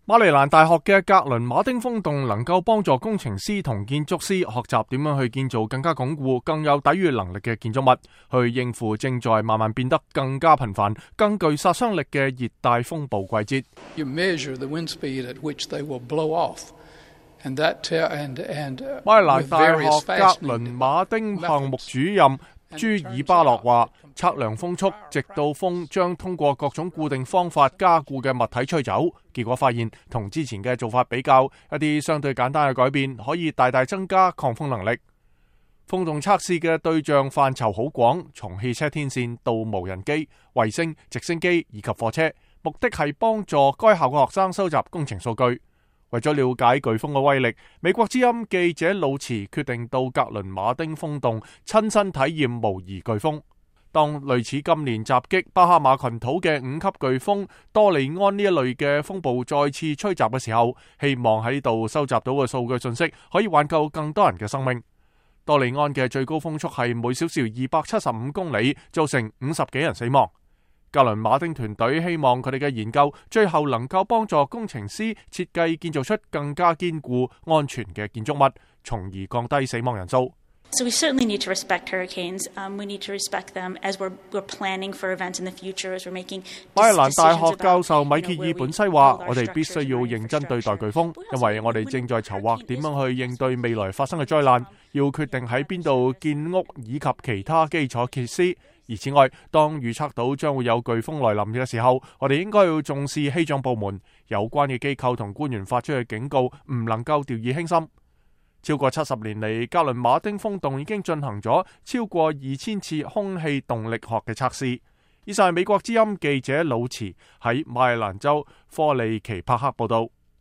馬里蘭大學嘅格倫馬丁風洞能夠幫助工程師同建築師學習點樣去建造更加鞏固、更有抵禦能力嘅建築物，去應付正在慢慢變得更加頻繁、更具殺傷力嘅熱帶風暴季節。You measure the wind speed at which they will blow off, and馬里蘭大學格倫馬丁項目主任朱爾巴洛話，測量風速，直到風將通過各種固定方法加固嘅物體吹走。結果發現，同之前嘅做法比較，一啲相對簡單嘅改變可以大大增加抗風能力。風洞測試嘅對象範疇好廣，從汽車天線到無人機、衛星、直升機以及貨車，目的係幫助該校嘅學生收集工程數據。為咗了解颶風嘅威力，美國之音記者魯茨決定到格倫馬丁風洞親身體驗模擬颶風。當類似今年襲擊巴哈馬群島嘅5級颶風多利安呢一類嘅風暴再次吹襲嘅時候，希望喺度收集到嘅數據信息可以挽救更多人嘅生命。多利安嘅最高風速係每小時275公里，造成50幾人死亡。格倫馬丁團隊希望佢哋嘅研究最後能夠幫助工程師設計建造出更加堅固、安全嘅建築物，從而降低死亡人數。So we certainly need to respect hurricanes. We need to respect them as we're planning for events in the future, as we're making decisions about. 馬里蘭大學教授米歇爾本西話：我哋必須要認真對待颶風，因為我哋正在籌劃點樣去應對未來發生嘅災難，要決定喺邊度建屋以及其他基礎設施。而此外，當預測到將會有颶風來臨嘅時候，我哋應該要重視氣象部門有關嘅機構同官員發出嘅警告，唔能夠掉以輕心。超過70年嚟，格倫馬丁風洞已經進行咗超過2000次空氣動力學嘅測試。以上係美國之音記者魯茨喺馬里蘭州科利奇帕克報道。